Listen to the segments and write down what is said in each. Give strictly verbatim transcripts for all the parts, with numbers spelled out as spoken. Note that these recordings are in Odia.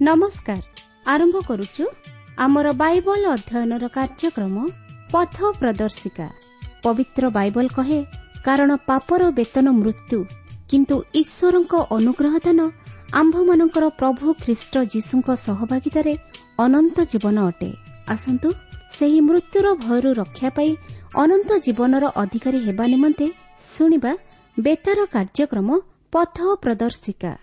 ନମସ୍କାର। ଆରମ୍ଭ କରୁଛୁ ଆମର ବାଇବଲ ଅଧ୍ୟୟନର କାର୍ଯ୍ୟକ୍ରମ ପଥ ପ୍ରଦର୍ଶିକା। ପବିତ୍ର ବାଇବଲ କହେ, କାରଣ ପାପର ବେତନ ମୃତ୍ୟୁ, କିନ୍ତୁ ଈଶ୍ୱରଙ୍କ ଅନୁଗ୍ରହ ଦାନ ଆମ୍ଭମାନଙ୍କର ପ୍ରଭୁ ଖ୍ରୀଷ୍ଟ ଯୀଶୁଙ୍କ ସହଭାଗିତାରେ ଅନନ୍ତ ଜୀବନ ଅଟେ। ଆସନ୍ତୁ ସେହି ମୃତ୍ୟୁର ଭୟରୁ ରକ୍ଷା ପାଇ ଅନନ୍ତ ଜୀବନର ଅଧିକାରୀ ହେବା ନିମନ୍ତେ ଶୁଣିବା ବେତାର କାର୍ଯ୍ୟକ୍ରମ ପଥ ପ୍ରଦର୍ଶିକା।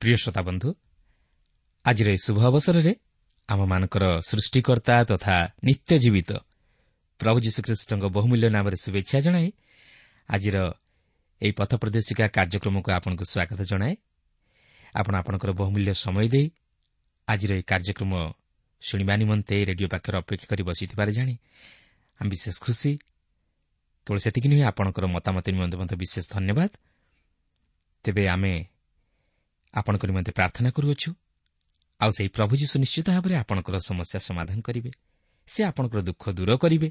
ପ୍ରିୟ ଶ୍ରୋତାବନ୍ଧୁ, ଆଜିର ଏହି ଶୁଭ ଅବସରରେ ଆମମାନଙ୍କର ସୃଷ୍ଟିକର୍ତ୍ତା ତଥା ନିତ୍ୟ ଜୀବିତ ପ୍ରଭୁ ଯୀଶୁଖ୍ରୀଷ୍ଟଙ୍କ ବହୁମୂଲ୍ୟ ନାମରେ ଶୁଭେଚ୍ଛା ଜଣାଇ ଆଜିର ଏହି ପଥ ପ୍ରଦର୍ଶିକା କାର୍ଯ୍ୟକ୍ରମକୁ ଆପଣଙ୍କୁ ସ୍ୱାଗତ ଜଣାଏ। ଆପଣ ଆପଣଙ୍କର ବହୁମୂଲ୍ୟ ସମୟ ଦେଇ ଆଜିର ଏହି କାର୍ଯ୍ୟକ୍ରମ ଶୁଣିବା ନିମନ୍ତେ ରେଡିଓ ପାଖରେ ଅପେକ୍ଷା କରି ବସିଥିବାର ଜାଣି ଆମେ ବିଶେଷ ଖୁସି। କେବଳ ସେତିକି ନୁହେଁ, ଆପଣଙ୍କର ମତାମତ ନିମନ୍ତେ ମଧ୍ୟ ବିଶେଷ ଧନ୍ୟବାଦ। ତେବେ ଆମେ ଆପଣଙ୍କ ନିମନ୍ତେ ପ୍ରାର୍ଥନା କରୁଅଛୁ, ଆଉ ସେହି ପ୍ରଭୁ ଯୀଶୁ ନିଶ୍ଚିତ ଭାବରେ ଆପଣଙ୍କର ସମସ୍ୟା ସମାଧାନ କରିବେ। ସେ ଆପଣଙ୍କର ଦୁଃଖ ଦୂର କରିବେ।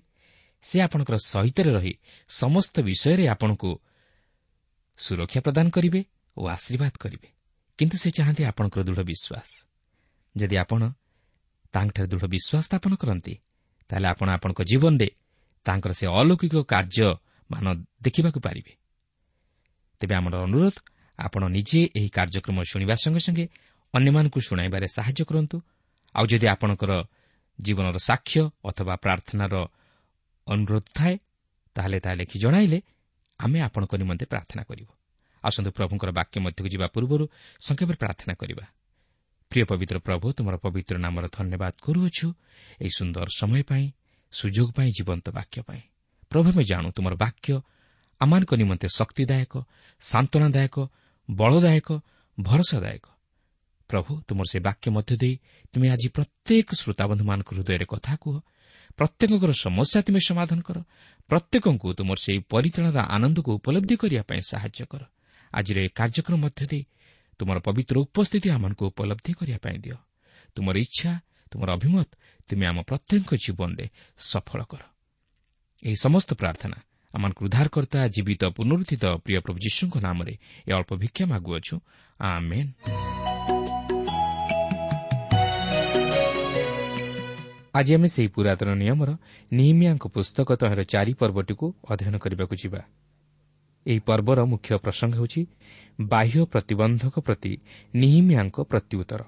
ସେ ଆପଣଙ୍କର ସହିତରେ ରହି ସମସ୍ତ ବିଷୟରେ ଆପଣଙ୍କୁ ସୁରକ୍ଷା ପ୍ରଦାନ କରିବେ ଓ ଆଶୀର୍ବାଦ କରିବେ। କିନ୍ତୁ ସେ ଚାହାନ୍ତି ଆପଣଙ୍କର ଦୃଢ଼ ବିଶ୍ୱାସ। ଯଦି ଆପଣ ତାଙ୍କଠାରେ ଦୃଢ଼ ବିଶ୍ୱାସ ସ୍ଥାପନ କରନ୍ତି, ତାହେଲେ ଆପଣ ଆପଣଙ୍କ ଜୀବନରେ ତାଙ୍କର ସେ ଅଲୌକିକ କାର୍ଯ୍ୟମାନ ଦେଖିବାକୁ ପାରିବେ। ତେବେ ଆମର ଅନୁରୋଧ, ଆପଣ ନିଜେ ଏହି କାର୍ଯ୍ୟକ୍ରମ ଶୁଣିବା ସଙ୍ଗେ ସଙ୍ଗେ ଅନ୍ୟମାନଙ୍କୁ ଶୁଣାଇବାରେ ସାହାଯ୍ୟ କରନ୍ତୁ। ଆଉ ଯଦି ଆପଣଙ୍କର ଜୀବନର ସାକ୍ଷ୍ୟ ଅଥବା ପ୍ରାର୍ଥନାର ଅନୁରୋଧ ଥାଏ, ତାହେଲେ ତାହା ଲେଖି ଜଣାଇଲେ ଆମେ ଆପଣଙ୍କ ନିମନ୍ତେ ପ୍ରାର୍ଥନା କରିବୁ। ଆସନ୍ତୁ ପ୍ରଭୁଙ୍କର ବାକ୍ୟ ମଧ୍ୟକୁ ଯିବା ପୂର୍ବରୁ ସଂକ୍ଷେପରେ ପ୍ରାର୍ଥନା କରିବା। ପ୍ରିୟ ପବିତ୍ର ପ୍ରଭୁ, ତୁମର ପବିତ୍ର ନାମର ଧନ୍ୟବାଦ କରୁଅଛୁ ଏହି ସୁନ୍ଦର ସମୟ ପାଇଁ, ସୁଯୋଗ ପାଇଁ, ଜୀବନ୍ତ ବାକ୍ୟ ପାଇଁ। ପ୍ରଭୁ, ଆମେ ଜାଣୁ ତୁମର ବାକ୍ୟ ଆମମାନଙ୍କ ନିମନ୍ତେ ଶକ୍ତିଦାୟକ, ସାନ୍ତ୍ୱନାଦାୟକ, ବଳଦାୟକ, ଭରସାଦାୟକ। ପ୍ରଭୁ, ତୁମର ସେ ବାକ୍ୟ ମଧ୍ୟ ଦେଇ ତୁମେ ଆଜି ପ୍ରତ୍ୟେକ ଶ୍ରୋତାବନ୍ଧୁମାନଙ୍କ ହୃଦୟରେ କଥା କୁହ। ପ୍ରତ୍ୟେକଙ୍କର ସମସ୍ୟା ତୁମେ ସମାଧାନ କର। ପ୍ରତ୍ୟେକଙ୍କୁ ତୁମର ସେହି ପରିତ୍ରାଣର ଆନନ୍ଦକୁ ଉପଲବ୍ଧି କରିବା ପାଇଁ ସାହାଯ୍ୟ କର। ଆଜିର ଏହି କାର୍ଯ୍ୟକ୍ରମ ମଧ୍ୟ ଦେଇ ତୁମର ପବିତ୍ର ଉପସ୍ଥିତି ଆମମାନଙ୍କୁ ଉପଲବ୍ଧି କରିବା ପାଇଁ ଦିଅ। ତୁମର ଇଚ୍ଛା, ତୁମର ଅଭିମତ ତୁମେ ଆମ ପ୍ରତ୍ୟେକଙ୍କ ଜୀବନରେ ସଫଳ କର। ଏହି ସମସ୍ତ ପ୍ରାର୍ଥନା ଆମମାନଙ୍କୁ ଉଦ୍ଧାରକର୍ତ୍ତା ଜୀବିତ ପୁନରୁତ୍ଥିତ ପ୍ରିୟ ପ୍ରଭୁ ଯୀଶୁଙ୍କ ନାମରେ ଏ ଅଳ୍ପ ଭିକ୍ଷା ମାଗୁଅଛୁ, ଆମେନ୍। ଆଜି ଆମେ ସେହି ପୁରାତନ ନିୟମର ନିହିମିୟାଙ୍କ ପୁସ୍ତକ ତହିଁର ଚାରି ପର୍ବଟିକୁ ଅଧ୍ୟୟନ କରିବାକୁ ଯିବା। ଏହି ପର୍ବର ମୁଖ୍ୟ ପ୍ରସଙ୍ଗ ହେଉଛି ବାହ୍ୟ ପ୍ରତିବନ୍ଧକ ପ୍ରତି ନିହିମିୟାଙ୍କ ପ୍ରତ୍ୟୁତ୍ତର।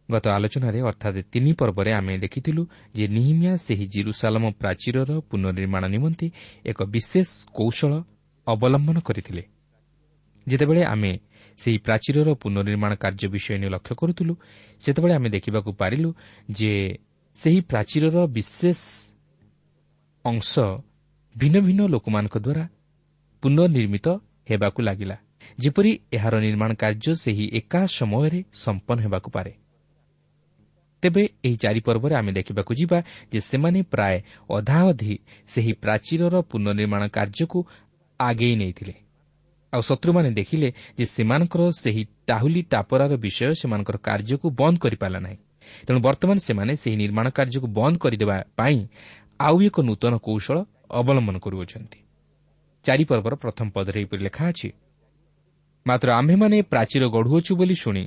ଗତ ଆଲୋଚନାରେ ଅର୍ଥାତ୍ ତିନି ପର୍ବରେ ଆମେ ଦେଖିଥିଲୁ ଯେ ନିହିମିୟା ସେହି ଜିରୁସାଲମ ପ୍ରାଚୀରର ପୁନର୍ନିର୍ମାଣ ନିମନ୍ତେ ଏକ ବିଶେଷ କୌଶଳ ଅବଲମ୍ବନ କରିଥିଲେ। ଯେତେବେଳେ ଆମେ ସେହି ପ୍ରାଚୀରର ପୁନର୍ନିର୍ମାଣ କାର୍ଯ୍ୟ ବିଷୟ ନେଇ ଲକ୍ଷ୍ୟ କରୁଥିଲୁ, ସେତେବେଳେ ଆମେ ଦେଖିବାକୁ ପାରିଲୁ ଯେ ସେହି ପ୍ରାଚୀରର ବିଶେଷ ଅଂଶ ଭିନ୍ନ ଭିନ୍ନ ଲୋକମାନଙ୍କ ଦ୍ୱାରା ପୁନର୍ନିର୍ମିତ ହେବାକୁ ଲାଗିଲା, ଯେପରି ଏହାର ନିର୍ମାଣ କାର୍ଯ୍ୟ ସେହି ଏକା ସମୟରେ ସମ୍ପନ୍ନ ହେବାକୁ ପାରେ। ତେବେ ଏହି ଚାରି ପର୍ବରେ ଆମେ ଦେଖିବାକୁ ଯିବା ଯେ ସେମାନେ ପ୍ରାୟ ଅଧାଅଧି ସେହି ପ୍ରାଚୀରର ପୁନର୍ନିର୍ମାଣ କାର୍ଯ୍ୟକୁ ଆଗେଇ ନେଇଥିଲେ। ଆଉ ଶତ୍ରୁମାନେ ଦେଖିଲେ ଯେ ସେମାନଙ୍କର ସେହି ଟାହୁଲି ଟାପରାର ବିଷୟ ସେମାନଙ୍କର କାର୍ଯ୍ୟକୁ ବନ୍ଦ କରିପାରିଲା ନାହିଁ। ତେଣୁ ବର୍ତ୍ତମାନ ସେମାନେ ସେହି ନିର୍ମାଣ କାର୍ଯ୍ୟକୁ ବନ୍ଦ କରିଦେବା ପାଇଁ ଆଉ ଏକ ନୂତନ କୌଶଳ ଅବଲମ୍ବନ କରୁଅଛନ୍ତି। ଚାରି ପର୍ବର ପ୍ରଥମ ପଦରେ ଏହିପରି ଲେଖା ଅଛି, ମାତ୍ର ଆମ୍ଭେମାନେ ପ୍ରାଚୀର ଗଢ଼ୁଅଛୁ ବୋଲି ଶୁଣି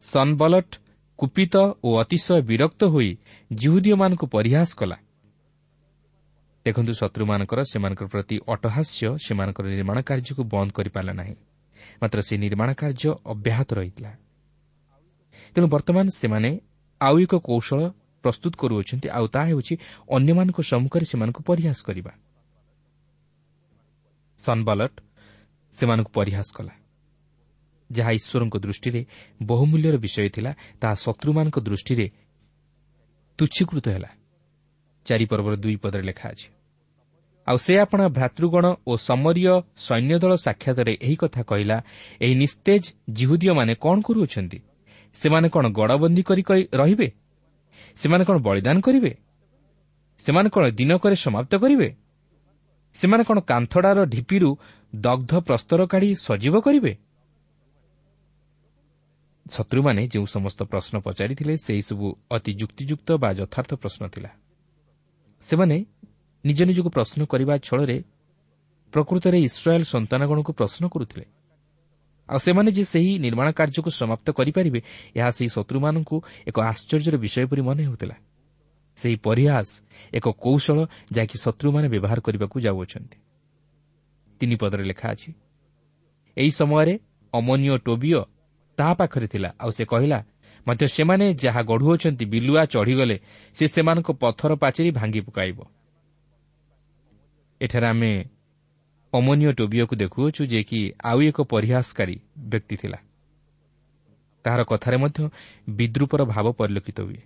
ସନବଲଟ କୁପିତ ଓ ଅତିଶୟ ବିରକ୍ତ ହୋଇ ଯିହୁଦୀୟମାନଙ୍କୁ ପରିହାସ କଲା। ଦେଖନ୍ତୁ, ଶତ୍ରୁମାନଙ୍କର ସେମାନଙ୍କର ପ୍ରତି ଅଟହାସ୍ୟ ସେମାନଙ୍କର ନିର୍ମାଣ କାର୍ଯ୍ୟକୁ ବନ୍ଦ କରିପାରିଲା ନାହିଁ, ମାତ୍ର ସେହି ନିର୍ମାଣ କାର୍ଯ୍ୟ ଅବ୍ୟାହତ ରହିଥିଲା। ତେଣୁ ବର୍ତ୍ତମାନ ସେମାନେ ଆଉ ଏକ କୌଶଳ ପ୍ରସ୍ତୁତ କରୁଅଛନ୍ତି, ଆଉ ତାହା ହେଉଛି ଅନ୍ୟମାନଙ୍କ ସମ୍ମୁଖରେ ସେମାନଙ୍କୁ ପରିହାସ କରିବା। ସନବଲଟ ସେମାନଙ୍କୁ ପରିହାସ କଲା। ଯାହା ଈଶ୍ୱରଙ୍କ ଦୃଷ୍ଟିରେ ବହୁମୂଲ୍ୟର ବିଷୟ ଥିଲା, ତାହା ଶତ୍ରୁମାନଙ୍କ ଦୃଷ୍ଟିରେ ତୁଚ୍ଛୀକୃତ ହେଲା। ଚାରିପର୍ବର ଦୁଇ ପଦରେ ଲେଖା ଅଛି, ଆଉ ସେ ଆପଣା ଭ୍ରାତୃଗଣ ଓ ସମରୀୟ ସୈନ୍ୟଦଳ ସାକ୍ଷାତରେ ଏହି କଥା କହିଲା, ଏହି ନିସ୍ତେଜ ଯିହୁଦୀୟମାନେ କ'ଣ କରୁଅଛନ୍ତି? ସେମାନେ କ'ଣ ଗଡ଼ବନ୍ଦୀ କରି ରହିବେ? ସେମାନେ କ'ଣ ବଳିଦାନ କରିବେ? ସେମାନେ କ'ଣ ଦିନକରେ ସମାପ୍ତ କରିବେ? ସେମାନେ କ'ଣ କାନ୍ଥଡ଼ାର ଢିପିରୁ ଦଗ୍ଧ ପ୍ରସ୍ତର କାଢ଼ି ସଜୀବ କରିବେ? ଶତ୍ରୁମାନେ ଯେଉଁ ସମସ୍ତ ପ୍ରଶ୍ନ ପଚାରିଥିଲେ, ସେହିସବୁ ଅତି ଯୁକ୍ତିଯୁକ୍ତ ବା ଯଥାର୍ଥ ପ୍ରଶ୍ନ ଥିଲା। ସେମାନେ ନିଜ ନିଜକୁ ପ୍ରଶ୍ନ କରିବା ଛଳରେ ପ୍ରକୃତରେ ଇସ୍ରାଏଲ୍ ସନ୍ତାନଗଣକୁ ପ୍ରଶ୍ନ କରୁଥିଲେ। ଆଉ ସେମାନେ ଯେ ସେହି ନିର୍ମାଣ କାର୍ଯ୍ୟକୁ ସମାପ୍ତ କରିପାରିବେ, ଏହା ସେହି ଶତ୍ରୁମାନଙ୍କୁ ଏକ ଆଶ୍ଚର୍ଯ୍ୟର ବିଷୟ ପରି ମନେ ହେଉଥିଲା। ସେହି ପରିହାସ ଏକ କୌଶଳ ଯାହାକି ଶତ୍ରୁମାନେ ବ୍ୟବହାର କରିବାକୁ ଯାଉଅଛନ୍ତି। ତିନି ପଦରେ ଲେଖା ଅଛି, ଏହି ସମୟରେ ଅମନୀୟ ଟୋବିୟ ତାହା ପାଖରେ ଥିଲା, ଆଉ ସେ କହିଲା, ମଧ୍ୟ ସେମାନେ ଯାହା ଗଢ଼ୁଅଛନ୍ତି ବିଲୁଆ ଚଢ଼ିଗଲେ ସେ ସେମାନଙ୍କ ପଥର ପାଚେରୀ ଭାଙ୍ଗି ପକାଇବ। ଏଠାରେ ଆମେ ଅମନୀୟ ଟୋବିୟକୁ ଦେଖୁଅଛୁ, ଯେ କି ଆଉ ଏକ ପରିହାସକାରୀ ବ୍ୟକ୍ତି ଥିଲା। ତାହାର କଥାରେ ମଧ୍ୟ ବିଦ୍ରୂପର ଭାବ ପରିଲକ୍ଷିତ ହୁଏ।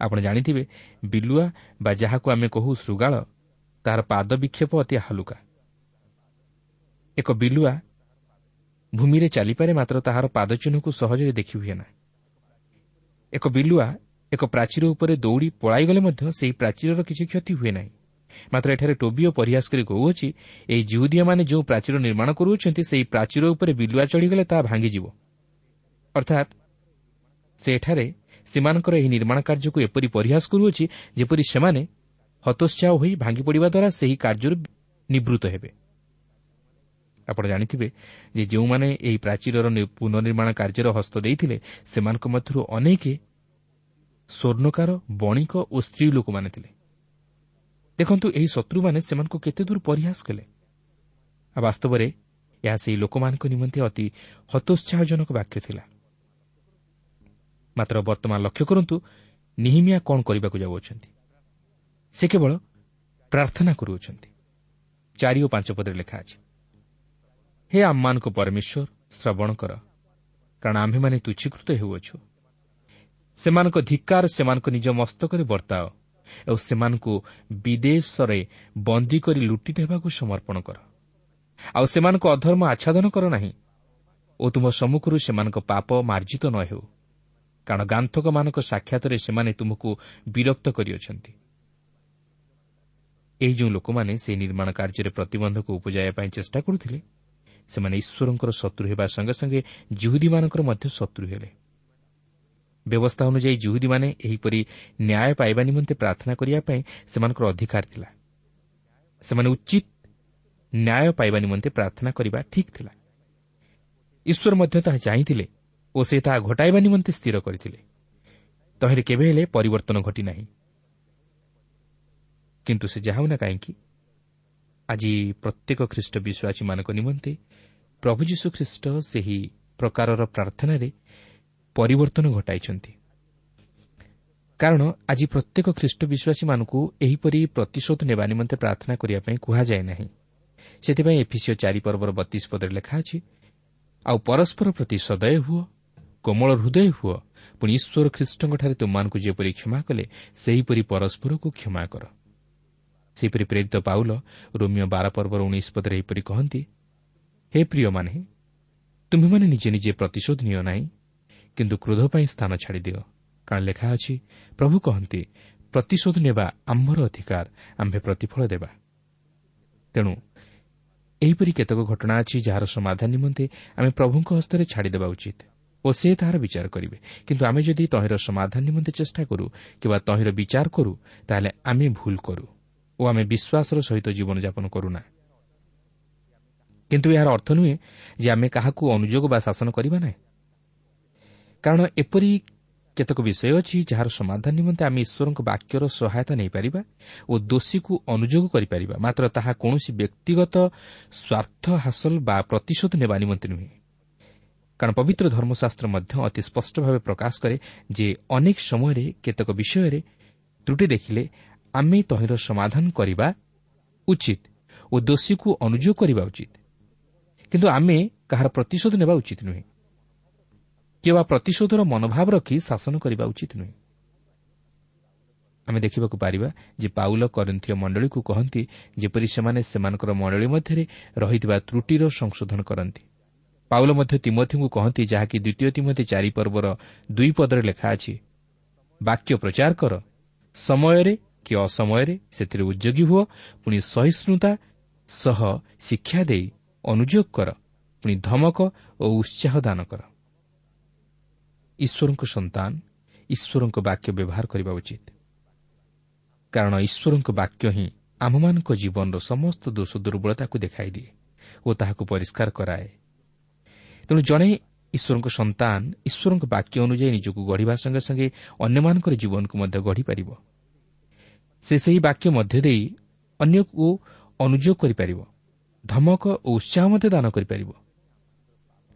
ଆପଣ ଜାଣିଥିବେ, ବିଲୁଆ ବା ଯାହାକୁ ଆମେ କହୁ ଶୃଗାଳ, ତାହାର ପାଦ ବିକ୍ଷେପ ଅତି ହାଲୁକା। ଏକ ବିଲୁଆ ଭୂମିରେ ଚାଲିପାରେ, ମାତ୍ର ତାହାର ପାଦଚିହ୍ନକୁ ସହଜରେ ଦେଖି ହୁଏ ନା। ଏକ ବିଲୁଆ ଏକ ପ୍ରାଚୀର ଉପରେ ଦୌଡ଼ି ପଳାଇଗଲେ ମଧ୍ୟ ସେହି ପ୍ରାଚୀରର କିଛି କ୍ଷତି ହୁଏ ନାହିଁ। ମାତ୍ର ଏଠାରେ ଟୋବିଓ ପରିହାସ କରି କହୁଅଛି, ଏହି ଯିହୁଦୀୟମାନେ ଯେଉଁ ପ୍ରାଚୀର ନିର୍ମାଣ କରୁଅଛନ୍ତି, ସେହି ପ୍ରାଚୀର ଉପରେ ବିଲୁଆ ଚଢ଼ିଗଲେ ତାହା ଭାଙ୍ଗିଯିବ। ଅର୍ଥାତ୍ ସେ ଏଠାରେ ସେମାନଙ୍କର ଏହି ନିର୍ମାଣ କାର୍ଯ୍ୟକୁ ଏପରି ପରିହାସ କରୁଅଛି, ଯେପରି ସେମାନେ ହତୋତ୍ସାହ ହୋଇ ଭାଙ୍ଗି ପଡ଼ିବା ଦ୍ୱାରା ସେହି କାର୍ଯ୍ୟରୁ ନିବୃତ୍ତ ହେବେ। ଆପଣ ଜାଣିଥିବେ ଯେ ଯେଉଁମାନେ ଏହି ପ୍ରାଚୀରର ପୁନର୍ନିର୍ମାଣ କାର୍ଯ୍ୟରେ ହସ୍ତ ଦେଇଥିଲେ, ସେମାନଙ୍କ ମଧ୍ୟରୁ ଅନେକ ସ୍ୱର୍ଣ୍ଣକାର, ବଣିକ ଓ ସ୍ତ୍ରୀ ଲୋକମାନେ ଥିଲେ। ଦେଖନ୍ତୁ, ଏହି ଶତ୍ରୁମାନେ ସେମାନଙ୍କୁ କେତେ ଦୂର ପରିହାସ କଲେ। ଆଉ ବାସ୍ତବରେ ଏହା ସେହି ଲୋକମାନଙ୍କ ନିମନ୍ତେ ଅତି ହତୋତ୍ସାହଜନକ ବାକ୍ୟ ଥିଲା। ମାତ୍ର ବର୍ତ୍ତମାନ ଲକ୍ଷ୍ୟ କରନ୍ତୁ, ନିହିମିୟା କ'ଣ କରିବାକୁ ଯାଉଅଛନ୍ତି। ସେ କେବଳ ପ୍ରାର୍ଥନା କରୁଅଛନ୍ତି। ଚାରି ଓ ପାଞ୍ଚ ପଦରେ ଲେଖା ଅଛି, ହେ ଆମମାନଙ୍କ ପରମେଶ୍ୱର, ଶ୍ରବଣ କର, କାରଣ ଆମ୍ଭେମାନେ ତୁଚ୍ଛୀକୃତ ହେଉଅଛୁ। ସେମାନଙ୍କ ଧିକ୍କାର ସେମାନଙ୍କ ନିଜ ମସ୍ତକରେ ବର୍ତ୍ତାଅ ଓ ସେମାନଙ୍କୁ ବିଦେଶରେ ବନ୍ଦୀ କରି ଲୁଟିତ ହେବାକୁ ସମର୍ପଣ କର। ଆଉ ସେମାନଙ୍କ ଅଧର୍ମ ଆଚ୍ଛାଦନ କର ନାହିଁ ଓ ତୁମ ସମ୍ମୁଖରୁ ସେମାନଙ୍କ ପାପ ମାର୍ଜିତ ନ ହେଉ, କାରଣ ଗାନ୍ଥକମାନଙ୍କ ସାକ୍ଷାତରେ ସେମାନେ ତୁମକୁ ବିରକ୍ତ କରିଅଛନ୍ତି। ଏହି ଯେଉଁ ଲୋକମାନେ ସେହି ନିର୍ମାଣ କାର୍ଯ୍ୟରେ ପ୍ରତିବନ୍ଧକ ଉପଜାଇବା ପାଇଁ ଚେଷ୍ଟା କରୁଥିଲେ, ସେମାନେ ଈଶ୍ୱରଙ୍କର ଶତ୍ରୁ ହେବା ସଙ୍ଗେ ସଙ୍ଗେ ଯିହୁଦୀମାନଙ୍କର ମଧ୍ୟ ଶତ୍ରୁ ହେଲେ। ବ୍ୟବସ୍ଥା ଅନୁଯାୟୀ ଯିହୁଦୀମାନେ ଏହିପରି ନ୍ୟାୟ ପାଇବା ନିମନ୍ତେ ପ୍ରାର୍ଥନା କରିବା ପାଇଁ ସେମାନଙ୍କର ଅଧିକାର ଥିଲା। ସେମାନେ ଉଚିତ ନ୍ୟାୟ ପାଇବା ନିମନ୍ତେ ପ୍ରାର୍ଥନା କରିବା ଠିକ୍ ଥିଲା। ଈଶ୍ୱର ମଧ୍ୟ ତାହା ଚାହିଁଥିଲେ ଓ ସେ ତାହା ଘଟାଇବା ନିମନ୍ତେ ସ୍ଥିର କରିଥିଲେ। ତହିଁରେ କେବେ ହେଲେ ପରିବର୍ତ୍ତନ ଘଟିନାହିଁ। କିନ୍ତୁ ସେ ଯାହା ହେଉନା କାହିଁକି, ଆଜି ପ୍ରତ୍ୟେକ ଖ୍ରୀଷ୍ଟ ବିଶ୍ୱାସୀମାନଙ୍କ ନିମନ୍ତେ ପ୍ରଭୁ ଯୀଶୁଖ୍ରୀଷ୍ଟ ସେହି ପ୍ରକାରର ପ୍ରାର୍ଥନାରେ ପରିବର୍ତ୍ତନ ଘଟାଇଛନ୍ତି। କାରଣ ଆଜି ପ୍ରତ୍ୟେକ ଖ୍ରୀଷ୍ଟ ବିଶ୍ୱାସୀମାନଙ୍କୁ ଏହିପରି ପ୍ରତିଶୋଧ ନେବା ନିମନ୍ତେ ପ୍ରାର୍ଥନା କରିବା ପାଇଁ କୁହାଯାଏ ନାହିଁ। ସେଥିପାଇଁ ଏଫିସିଓ ଚାରି ପର୍ବର ବତିଶ ପଦରେ ଲେଖା ଅଛି, ଆଉ ପରସ୍ପର ପ୍ରତି ସଦୟ ହୁଅ, କୋମଳ ହୃଦୟ ହୁଅ, ପୁଣି ଈଶ୍ୱର ଖ୍ରୀଷ୍ଟଙ୍କଠାରେ ତୁମମାନଙ୍କୁ ଯେପରି କ୍ଷମା କଲେ ସେହିପରି ପରସ୍ପରକୁ କ୍ଷମା କର। ସେହିପରି ପ୍ରେରିତ ପାଉଲ ରୋମିଓ ବାର ପର୍ବର ଉଣେଇଶ ପଦରେ ଏହିପରି କହନ୍ତି, ହେ ପ୍ରିୟମାନେ, ତୁମ୍ଭେମାନେ ନିଜେ ନିଜେ ପ୍ରତିଶୋଧ ନିଅ ନାହିଁ, କିନ୍ତୁ କ୍ରୋଧ ପାଇଁ ସ୍ଥାନ ଛାଡ଼ିଦିଅ। କାରଣ ଲେଖା ଅଛି, ପ୍ରଭୁ କହନ୍ତି, ପ୍ରତିଶୋଧ ନେବା ଆମ୍ଭର ଅଧିକାର, ଆମ୍ଭେ ପ୍ରତିଫଳ ଦେବା। ତେଣୁ ଏହିପରି କେତେକ ଘଟଣା ଅଛି ଯାହାର ସମାଧାନ ନିମନ୍ତେ ଆମେ ପ୍ରଭୁଙ୍କ ହସ୍ତରେ ଛାଡ଼ିଦେବା ଉଚିତ ଓ ସେ ତାହାର ବିଚାର କରିବେ। କିନ୍ତୁ ଆମେ ଯଦି ତହିଁର ସମାଧାନ ନିମନ୍ତେ ଚେଷ୍ଟା କରୁ କିମ୍ବା ତହିଁର ବିଚାର କରୁ, ତାହେଲେ ଆମେ ଭୁଲ କରୁ ଓ ଆମେ ବିଶ୍ୱାସର ସହିତ ଜୀବନଯାପନ କରୁନା। କିନ୍ତୁ ଏହାର ଅର୍ଥ ନୁହେଁ ଯେ ଆମେ କାହାକୁ ଅନୁଯୋଗ ବା ଶାସନ କରିବା ନାହିଁ। କାରଣ ଏପରି କେତେକ ବିଷୟ ଅଛି ଯାହାର ସମାଧାନ ନିମନ୍ତେ ଆମେ ଈଶ୍ୱରଙ୍କ ବାକ୍ୟର ସହାୟତା ନେଇପାରିବା ଓ ଦୋଷୀକୁ ଅନୁଯୋଗ କରିପାରିବା, ମାତ୍ର ତାହା କୌଣସି ବ୍ୟକ୍ତିଗତ ସ୍ୱାର୍ଥ ହାସଲ ବା ପ୍ରତିଶୋଧ ନେବା ନିମନ୍ତେ ନୁହେଁ। କାରଣ ପବିତ୍ର ଧର୍ମଶାସ୍ତ୍ର ମଧ୍ୟ ଅତି ସ୍ପଷ୍ଟ ଭାବେ ପ୍ରକାଶ କରେ ଯେ ଅନେକ ସମୟରେ କେତେକ ବିଷୟରେ ତ୍ରୁଟି ଦେଖିଲେ ଆମେ ତହିଁର ସମାଧାନ କରିବା ଉଚିତ ଓ ଦୋଷୀକୁ ଅନୁଯୋଗ କରିବା ଉଚିତ, କିନ୍ତୁ ଆମେ କାହାର ପ୍ରତିଶୋଧ ନେବା ଉଚିତ ନୁହେଁ କିମ୍ବା ପ୍ରତିଶୋଧର ମନୋଭାବ ରଖି ଶାସନ କରିବା ଉଚିତ ନୁହେଁ। ଆମେ ଦେଖିବାକୁ ପାରିବା ଯେ ପାଉଲ କରିନ୍ଥୀୟ ମଣ୍ଡଳୀକୁ କହନ୍ତି ଯେପରି ସେମାନେ ସେମାନଙ୍କର ମଣ୍ଡଳୀ ମଧ୍ୟରେ ରହିଥିବା ତ୍ରୁଟିର ସଂଶୋଧନ କରନ୍ତି। ପାଉଲ ମଧ୍ୟ ତିମୋଥିଙ୍କୁ କହନ୍ତି, ଯାହାକି ଦ୍ୱିତୀୟ ତିମୋଥି ଚାରି ପର୍ବର ଦୁଇ ପଦରେ ଲେଖା ଅଛି, ବାକ୍ୟ ପ୍ରଚାର କର, ସମୟରେ କି ଅସମୟରେ ସେଥିରେ ଉଦ୍ଯୋଗୀ ହୁଅ, ପୁଣି ସହିଷ୍ଣୁତା ସହ ଶିକ୍ଷା ଦେଇ ଅନୁଯୋଗ କର, ପୁଣି ଧମକ ଓ ଉତ୍ସାହ ଦାନ କର। ଈଶ୍ୱରଙ୍କ ସନ୍ତାନ ଈଶ୍ୱରଙ୍କ ବାକ୍ୟ ବ୍ୟବହାର କରିବା ଉଚିତ, କାରଣ ଈଶ୍ୱରଙ୍କ ବାକ୍ୟ ହିଁ ଆମମାନଙ୍କ ଜୀବନର ସମସ୍ତ ଦୋଷ ଦୁର୍ବଳତାକୁ ଦେଖାଇଦିଏ ଓ ତାହାକୁ ପରିଷ୍କାର କରାଏ। ତେଣୁ ଜଣେ ଈଶ୍ୱରଙ୍କ ସନ୍ତାନ ଈଶ୍ୱରଙ୍କ ବାକ୍ୟ ଅନୁଯାୟୀ ନିଜକୁ ଗଢ଼ିବା ସଙ୍ଗେ ସଙ୍ଗେ ଅନ୍ୟମାନଙ୍କର ଜୀବନକୁ ମଧ୍ୟ ଗଢ଼ିପାରିବ। ସେ ସେହି ବାକ୍ୟ ମଧ୍ୟ ଦେଇ ଅନ୍ୟକୁ ଅନୁଯୋଗ କରିପାରିବ, ଧମକ ଓ ଉତ୍ସାହ ମଧ୍ୟ ଦାନ କରିପାରିବ।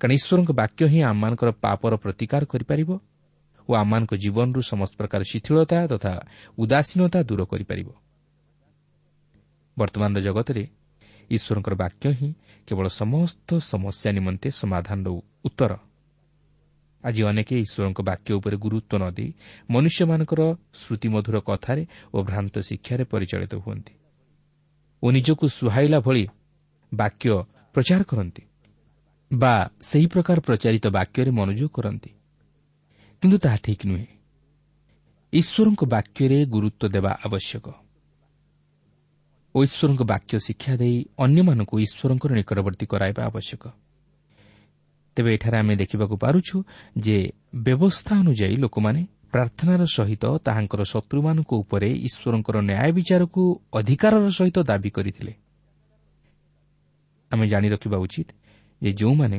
କାରଣ ଈଶ୍ୱରଙ୍କ ବାକ୍ୟ ହିଁ ଆମମାନଙ୍କର ପାପର ପ୍ରତିକାର କରିପାରିବ ଓ ଆମମାନଙ୍କ ଜୀବନରୁ ସମସ୍ତ ପ୍ରକାର ଶିଥିଳତା ତଥା ଉଦାସୀନତା ଦୂର କରିପାରିବ। ବର୍ତ୍ତମାନର ଜଗତରେ ଈଶ୍ୱରଙ୍କର ବାକ୍ୟ ହିଁ କେବଳ ସମସ୍ତ ସମସ୍ୟା ନିମନ୍ତେ ସମାଧାନର ଉତ୍ତର। ଆଜି ଅନେକ ଈଶ୍ୱରଙ୍କ ବାକ୍ୟ ଉପରେ ଗୁରୁତ୍ୱ ନ ଦେଇ ମନୁଷ୍ୟମାନଙ୍କର ଶ୍ରୁତିମଧୁର କଥାରେ ଓ ଭ୍ରାନ୍ତ ଶିକ୍ଷାରେ ପରିଚାଳିତ ହୁଅନ୍ତି ଓ ନିଜକୁ ସୁହାଇଲା ଭଳି ବାକ୍ୟ ପ୍ରଚାର କରନ୍ତି ବା ସେହି ପ୍ରକାର ପ୍ରଚାରିତ ବାକ୍ୟରେ ମନୋଯୋଗ କରନ୍ତି, କିନ୍ତୁ ତାହା ଠିକ୍ ନୁହେଁ। ଈଶ୍ୱରଙ୍କ ବାକ୍ୟରେ ଗୁରୁତ୍ୱ ଦେବା ଆବଶ୍ୟକ ଓ ଈଶ୍ୱରଙ୍କ ବାକ୍ୟ ଶିକ୍ଷା ଦେଇ ଅନ୍ୟମାନଙ୍କୁ ଈଶ୍ୱରଙ୍କର ନିକଟବର୍ତ୍ତୀ କରାଇବା ଆବଶ୍ୟକ। ତେବେ ଏଠାରେ ଆମେ ଦେଖିବାକୁ ପାରୁଛୁ ଯେ ବ୍ୟବସ୍ଥା ଅନୁଯାୟୀ ଲୋକମାନେ ପ୍ରାର୍ଥନାର ସହିତ ତାହାଙ୍କର ଶତ୍ରୁମାନଙ୍କ ଉପରେ ଈଶ୍ୱରଙ୍କର ନ୍ୟାୟ ବିଚାରକୁ ଅଧିକାରର ସହିତ ଦାବି କରିଥିଲେ। ଆମେ ଜାଣି ରଖିବା ଉଚିତ ଯେ ଯେଉଁମାନେ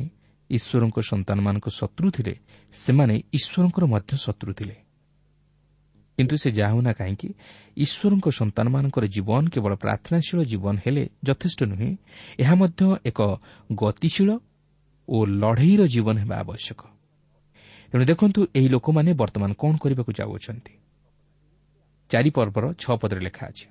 ଈଶ୍ୱରଙ୍କ ସନ୍ତାନମାନଙ୍କ ଶତ୍ରୁ ଥିଲେ, ସେମାନେ ଈଶ୍ୱରଙ୍କର ମଧ୍ୟ ଶତ୍ରୁ ଥିଲେ। କିନ୍ତୁ ସେ ଯାହା ହେଉନା କାହିଁକି, ଈଶ୍ୱରଙ୍କ ସନ୍ତାନମାନଙ୍କର ଜୀବନ କେବଳ ପ୍ରାର୍ଥନାଶୀଳ ଜୀବନ ହେଲେ ଯଥେଷ୍ଟ ନୁହେଁ, ଏହା ମଧ୍ୟ ଏକ ଗତିଶୀଳ ଓ ଲଢ଼େଇର ଜୀବନ ହେବା ଆବଶ୍ୟକ। ତେଣୁ ଦେଖନ୍ତୁ ଏହି ଲୋକମାନେ ବର୍ତ୍ତମାନ କ'ଣ କରିବାକୁ ଯାଉଅଛନ୍ତି। ଚାରି ପର୍ବର ଛଅ ପଦରେ ଲେଖା ଅଛି,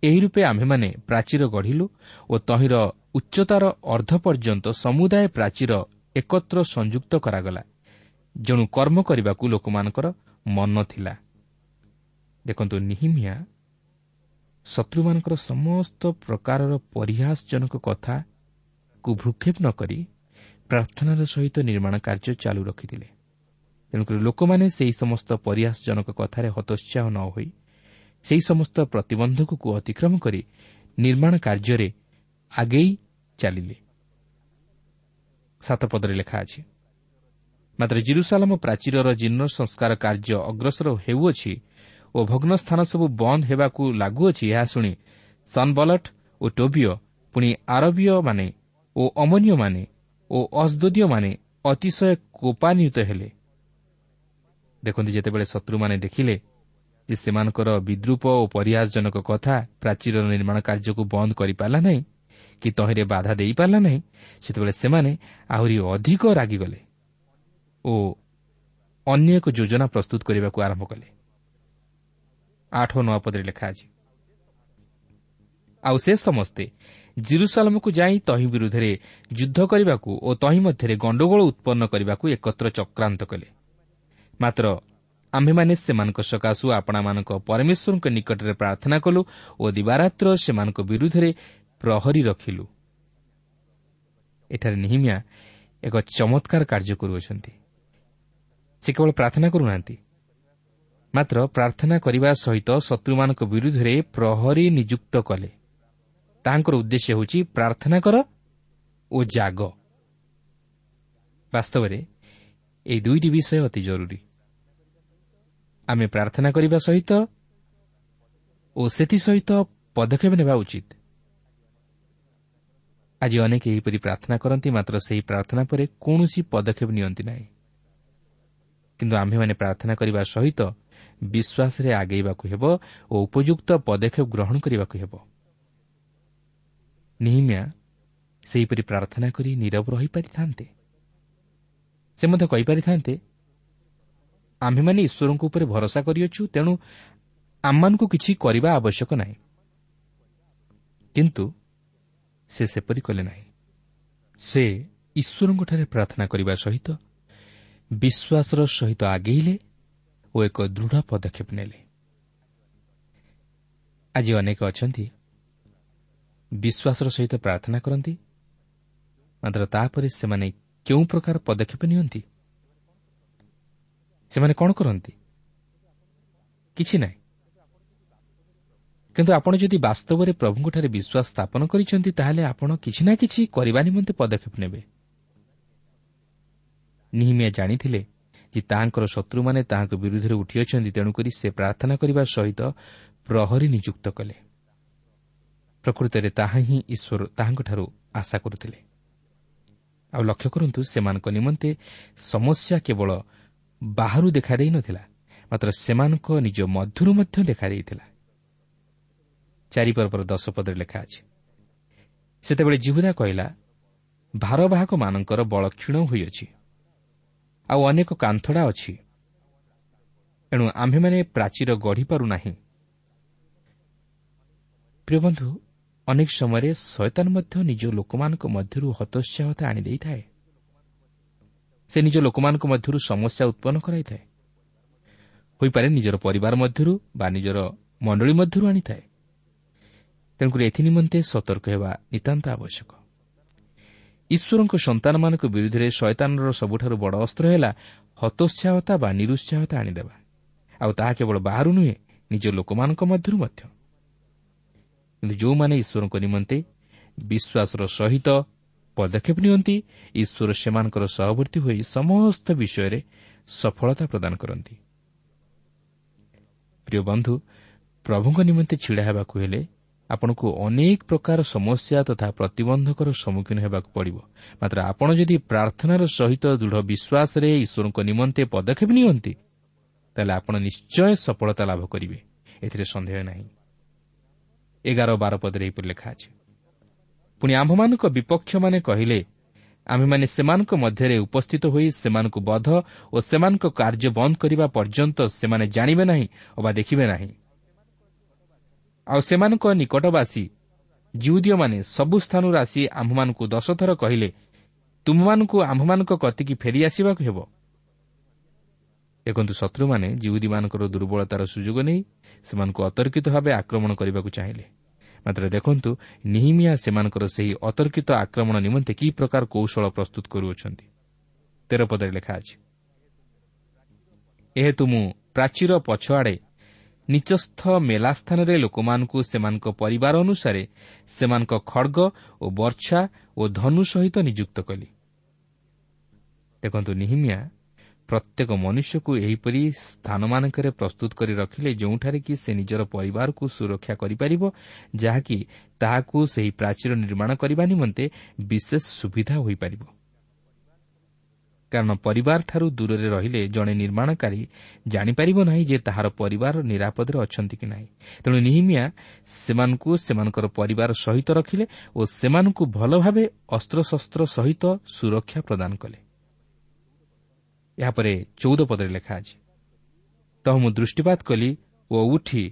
ଏହି ରୂପେ ଆମ୍ଭେମାନେ ପ୍ରାଚୀର ଗଢ଼ିଲୁ ଓ ତହିଁର ଉଚ୍ଚତାର ଅର୍ଦ୍ଧ ପର୍ଯ୍ୟନ୍ତ ସମୁଦାୟ ପ୍ରାଚୀର ଏକତ୍ର ସଂଯୁକ୍ତ କରାଗଲା, ଯେଣୁ କର୍ମ କରିବାକୁ ଲୋକମାନଙ୍କର ମନ ଥିଲା। ଦେଖନ୍ତୁ, ନିହିମିଆ ଶତ୍ରୁମାନଙ୍କର ସମସ୍ତ ପ୍ରକାରର ପରିହାସଜନକ କଥାକୁ ଭ୍ରୂକ୍ଷେପ ନ କରି ପ୍ରାର୍ଥନାର ସହିତ ନିର୍ମାଣ କାର୍ଯ୍ୟ ଚାଲୁ ରଖିଥିଲେ। ତେଣୁକରି ଲୋକମାନେ ସେହି ସମସ୍ତ ପରିହାସଜନକ କଥାରେ ହତୋତ୍ସାହ ନ ହୋଇ ସେହି ସମସ୍ତ ପ୍ରତିବନ୍ଧକକୁ ଅତିକ୍ରମ କରି ନିର୍ମାଣ କାର୍ଯ୍ୟରେ ଆଗେଇ ଚାଲିଲେ। ସାତ ପଦରେ ଲେଖା ଅଛି, ମାତ୍ର ଜିରୁସାଲମ ପ୍ରାଚୀରର ଜୀର୍ଣ୍ଣ ସଂସ୍କାର କାର୍ଯ୍ୟ ଅଗ୍ରସର ହେଉଅଛି ଓ ଭଗ୍ନ ସ୍ଥାନ ସବୁ ବନ୍ଦ ହେବାକୁ ଲାଗୁଅଛି, ଏହା ଶୁଣି ସନବଲଟ ଓ ଟୋବିୟ, ପୁଣି ଆରବୀୟମାନେ ଓ ଅମନୀୟମାନେ ଓ ଅସ୍ଦୋଦୀୟମାନେ ଅତିଶୟ କୋପାନ୍ୱିତ ହେଲେ। ଦେଖନ୍ତୁ, ଯେତେବେଳେ ଶତ୍ରୁମାନେ ଦେଖିଲେ ଯେ ସେମାନଙ୍କର ବିଦ୍ରୂପ ଓ ପରିହାସଜନକ କଥା ପ୍ରାଚୀରର ନିର୍ମାଣ କାର୍ଯ୍ୟକୁ ବନ୍ଦ କରିପାରିଲା ନାହିଁ କି ତହିଁରେ ବାଧା ଦେଇପାରିଲା ନାହିଁ, ସେତେବେଳେ ସେମାନେ ଆହୁରି ଅଧିକ ରାଗିଗଲେ ଓ ଅନ୍ୟ ଏକ ଯୋଜନା ପ୍ରସ୍ତୁତ କରିବାକୁ ଆରମ୍ଭ କଲେ। ଆଠ ଓ ନଅ ପଦରେ ଲେଖା ଅଛି, ଆଉ ସେ ସମସ୍ତେ ଜିରୁସାଲମକୁ ଯାଇ ତହିଁ ବିରୁଦ୍ଧରେ ଯୁଦ୍ଧ କରିବାକୁ ଓ ତହିଁ ମଧ୍ୟରେ ଗଣ୍ଡଗୋଳ ଉତ୍ପନ୍ନ କରିବାକୁ ଏକତ୍ର ଚକ୍ରାନ୍ତ କଲେ। ମାତ୍ର ଆମ୍ଭେମାନେ ସେମାନଙ୍କ ସକାଶୁ ଆପଣାମାନଙ୍କ ପରମେଶ୍ୱରଙ୍କ ନିକଟରେ ପ୍ରାର୍ଥନା କଲୁ ଓ ଦିବାରାତ୍ର ସେମାନଙ୍କ ବିରୁଦ୍ଧରେ ପ୍ରହରୀ ରଖିଲୁ। ଏଠାରେ ନିହିମିଆ ଏକ ଚମତ୍କାର କାର୍ଯ୍ୟ କରୁଅଛନ୍ତି। ସେ କେବଳ ପ୍ରାର୍ଥନା କରୁନାହାନ୍ତି, ମାତ୍ର ପ୍ରାର୍ଥନା କରିବା ସହିତ ଶତ୍ରୁମାନଙ୍କ ବିରୁଦ୍ଧରେ ପ୍ରହରୀ ନିଯୁକ୍ତ କଲେ। ତାହାଙ୍କର ଉଦ୍ଦେଶ୍ୟ ହେଉଛି ପ୍ରାର୍ଥନା କର ଓ ଜାଗ। ବାସ୍ତବରେ ଏହି ଦୁଇଟି ବିଷୟ ଅତି ଜରୁରୀ। ଆମେ ପ୍ରାର୍ଥନା କରିବା ସହିତ ଓ ସେଥିସହିତ ପଦକ୍ଷେପ ନେବା ଉଚିତ। ଆଜି ଅନେକ ଏହିପରି ପ୍ରାର୍ଥନା କରନ୍ତି, ମାତ୍ର ସେହି ପ୍ରାର୍ଥନା ପରେ କୌଣସି ପଦକ୍ଷେପ ନିଅନ୍ତି ନାହିଁ। କିନ୍ତୁ ଆମ୍ଭେମାନେ ପ୍ରାର୍ଥନା କରିବା ସହିତ ବିଶ୍ୱାସରେ ଆଗେଇବାକୁ ହେବ ଓ ଉପଯୁକ୍ତ ପଦକ୍ଷେପ ଗ୍ରହଣ କରିବାକୁ ହେବ। ନିହିମିଆ ସେହିପରି ପ୍ରାର୍ଥନା କରି ନୀରବ ରହିପାରିଥାନ୍ତେ। ସେ ମଧ୍ୟ କହିପାରିଥାନ୍ତେ, ଆମ୍ଭେମାନେ ଈଶ୍ୱରଙ୍କ ଉପରେ ଭରସା କରିଅଛୁ, ତେଣୁ ଆମମାନଙ୍କୁ କିଛି କରିବା ଆବଶ୍ୟକ ନାହିଁ। କିନ୍ତୁ ସେ ସେପରି କଲେ ନାହିଁ। ସେ ଈଶ୍ୱରଙ୍କଠାରେ ପ୍ରାର୍ଥନା କରିବା ସହିତ ବିଶ୍ୱାସର ସହିତ ଆଗେଇଲେ ଓ ଏକ ଦୃଢ଼ ପଦକ୍ଷେପ ନେଲେ। ଆଜି ଅନେକ ଅଛନ୍ତି ବିଶ୍ୱାସର ସହିତ ପ୍ରାର୍ଥନା କରନ୍ତି, ମାତ୍ର ତାପରେ ସେମାନେ କେଉଁ ପ୍ରକାର ପଦକ୍ଷେପ ନିଅନ୍ତି? ସେମାନେ କ'ଣ କରନ୍ତି? କିଛି ନାହିଁ। କିନ୍ତୁ ଆପଣ ଯଦି ବାସ୍ତବରେ ପ୍ରଭୁଙ୍କଠାରେ ବିଶ୍ୱାସ ସ୍ଥାପନ କରିଛନ୍ତି, ତାହେଲେ ଆପଣ କିଛି ନା କିଛି କରିବା ନିମନ୍ତେ ପଦକ୍ଷେପ ନେବେ। ନିହିମିଆ ଜାଣିଥିଲେ ଯେ ତାହାଙ୍କର ଶତ୍ରୁମାନେ ତାହାଙ୍କ ବିରୁଦ୍ଧରେ ଉଠିଅଛନ୍ତି, ତେଣୁକରି ସେ ପ୍ରାର୍ଥନା କରିବା ସହିତ ପ୍ରହରୀ ନିଯୁକ୍ତ କଲେ। ପ୍ରକୃତରେ ତାହା ହିଁ ଈଶ୍ୱର ତାହାଙ୍କଠାରୁ ଆଶା କରୁଥିଲେ। ଆଉ ଲକ୍ଷ୍ୟ କରନ୍ତୁ, ସେମାନଙ୍କ ନିମନ୍ତେ ସମସ୍ୟା କେବଳ ବାହାରୁ ଦେଖାଦେଇନଥିଲା, ମାତ୍ର ସେମାନଙ୍କ ନିଜ ମଧ୍ୟରୁ ମଧ୍ୟ ଦେଖାଦେଇଥିଲା। ଚାରିପର୍ବର ଦଶ ପଦରେ ଲେଖା ଅଛି, ସେତେବେଳେ ଯିହୁଦା କହିଲା, ଭାରବାହକମାନଙ୍କର ବଳ କ୍ଷୀଣ ହୋଇଅଛି, ଆଉ ଅନେକ କାନ୍ଥଡ଼ା ଅଛି, ଏଣୁ ଆମ୍ଭେମାନେ ପ୍ରାଚୀର ଗଢ଼ିପାରୁନାହିଁ। ପ୍ରିୟ ବନ୍ଧୁ, ଅନେକ ସମୟରେ ଶୟତାନ ମଧ୍ୟ ନିଜ ଲୋକମାନଙ୍କ ମଧ୍ୟରୁ ହତୋତ୍ସାହତା ଆଣିଦେଇଥାଏ। ସେ ନିଜ ଲୋକମାନଙ୍କ ମଧ୍ୟରୁ ସମସ୍ୟା ଉତ୍ପନ୍ନ କରାଇଥାଏ। ହୋଇପାରେ ନିଜର ପରିବାର ମଧ୍ୟରୁ ବା ନିଜର ମଣ୍ଡଳୀ ମଧ୍ୟରୁ ଆଣିଥାଏ। ତେଣୁକରି ଏଥି ନିମନ୍ତେ ସତର୍କ ହେବା ନିତାନ୍ତ ଆବଶ୍ୟକ। ଈଶ୍ୱରଙ୍କ ସନ୍ତାନମାନଙ୍କ ବିରୁଦ୍ଧରେ ଶୟତାନର ସବୁଠାରୁ ବଡ଼ ଅସ୍ତ୍ର ହେଲା ହତୋତ୍ସାହତା ବା ନିରୁତ୍ସାହତା ଆଣିଦେବା, ଆଉ ତାହା କେବଳ ବାହାରୁ ନୁହେଁ, ନିଜ ଲୋକମାନଙ୍କ ମଧ୍ୟରୁ ମଧ୍ୟ। କିନ୍ତୁ ଯେଉଁମାନେ ଈଶ୍ୱରଙ୍କ ନିମନ୍ତେ ବିଶ୍ୱାସର ସହିତ ପଦକ୍ଷେପ ନିଅନ୍ତି, ଈଶ୍ୱର ସେମାନଙ୍କର ସହବର୍ତ୍ତୀ ହୋଇ ସମସ୍ତ ବିଷୟରେ ସଫଳତା ପ୍ରଦାନ କରନ୍ତି। ପ୍ରିୟ ବନ୍ଧୁ, ପ୍ରଭୁଙ୍କ ନିମନ୍ତେ ଛିଡ଼ା ହେବାକୁ ହେଲେ ଆପଣଙ୍କୁ ଅନେକ ପ୍ରକାର ସମସ୍ୟା ତଥା ପ୍ରତିବନ୍ଧକର ସମ୍ମୁଖୀନ ହେବାକୁ ପଡ଼ିବ। ମାତ୍ର ଆପଣ ଯଦି ପ୍ରାର୍ଥନାର ସହିତ ଦୃଢ଼ ବିଶ୍ୱାସରେ ଈଶ୍ୱରଙ୍କ ନିମନ୍ତେ ପଦକ୍ଷେପ ନିଅନ୍ତି, ତାହେଲେ ଆପଣ ନିଶ୍ଚୟ ସଫଳତା ଲାଭ କରିବେ, ଏଥିରେ ସନ୍ଦେହ ନାହିଁ। ଏଗାର ବାର ପଦରେ ଏହିପରି ଲେଖା ଅଛି, ପୁଣି ଆମ୍ଭମାନଙ୍କ ବିପକ୍ଷମାନେ କହିଲେ, ଆମ୍ଭେମାନେ ସେମାନଙ୍କ ମଧ୍ୟରେ ଉପସ୍ଥିତ ହୋଇ ସେମାନଙ୍କୁ ବଧ ଓ ସେମାନଙ୍କ କାର୍ଯ୍ୟ ବନ୍ଦ କରିବା ପର୍ଯ୍ୟନ୍ତ ସେମାନେ ଜାଣିବେ ନାହିଁ ଅବା ଦେଖିବେ ନାହିଁ। ଆଉ ସେମାନଙ୍କ ନିକଟବାସୀ ଯିହୁଦୀୟମାନେ ସବୁ ସ୍ଥାନରୁ ଆସି ଆମ୍ଭମାନଙ୍କୁ ଦଶଥର କହିଲେ, ତୁମମାନଙ୍କୁ ଆମ୍ଭମାନଙ୍କ କତିକି ଫେରିଆସିବାକୁ ହେବ। ଦେଖନ୍ତୁ, ଶତ୍ରୁମାନେ ଯିହୁଦୀମାନଙ୍କର ଦୁର୍ବଳତାର ସୁଯୋଗ ନେଇ ସେମାନଙ୍କୁ ଅତର୍କିତ ଭାବେ ଆକ୍ରମଣ କରିବାକୁ ଚାହିଁଲେ। ମାତ୍ର ଦେଖନ୍ତୁ, ନିହିମିଆ ସେମାନଙ୍କର ସେହି ଅତର୍କିତ ଆକ୍ରମଣ ନିମନ୍ତେ କି ପ୍ରକାର କୌଶଳ ପ୍ରସ୍ତୁତ କରୁଅଛନ୍ତି। ତେର ପଦରେ ଲେଖା ଅଛି, ଏହେତୁ ମୁଁ ପ୍ରାଚୀର ପଛଆଡ଼େ ନିଚସ୍ଥ ମେଲା ସ୍ଥାନରେ ଲୋକମାନଙ୍କୁ ସେମାନଙ୍କ ପରିବାର ଅନୁସାରେ ସେମାନଙ୍କ ଖଡ଼ଗ ଓ ବର୍ଚ୍ଛା ଓ ଧନୁ ସହିତ ନିଯୁକ୍ତ କଲି। ଦେଖନ୍ତୁ, ନିହିମିଆ ପ୍ରତ୍ୟେକ ମନୁଷ୍ୟକୁ ଏହିପରି ସ୍ଥାନମାନଙ୍କରେ ପ୍ରସ୍ତୁତ କରି ରଖିଲେ ଯେଉଁଠାରେ କି ସେ ନିଜର ପରିବାରକୁ ସୁରକ୍ଷା କରିପାରିବ, ଯାହାକି ତାହାକୁ ସେହି ପ୍ରାଚୀର ନିର୍ମାଣ କରିବା ନିମନ୍ତେ ବିଶେଷ ସୁବିଧା ହୋଇପାରିବ। କାରଣ ପରିବାରଠାରୁ ଦୂରରେ ରହିଲେ ଜଣେ ନିର୍ମାଣକାରୀ ଜାଣିପାରିବ ନାହିଁ ଯେ ତାହାର ପରିବାର ନିରାପଦରେ ଅଛନ୍ତି କି ନାହିଁ। ତେଣୁ ନିହିମିଆ ସେମାନଙ୍କୁ ସେମାନଙ୍କର ପରିବାର ସହିତ ରଖିଲେ ଓ ସେମାନଙ୍କୁ ଭଲ ଭାବେ ଅସ୍ତ୍ରଶସ୍ତ୍ର ସହିତ ସୁରକ୍ଷା ପ୍ରଦାନ କଲେ। ଏହାପରେ ଚଉଦ ପଦରେ ଲେଖା ଅଛି, ତହ ମୁଁ ଦୃଷ୍ଟିପାତ କଲି ଓ ଉଠି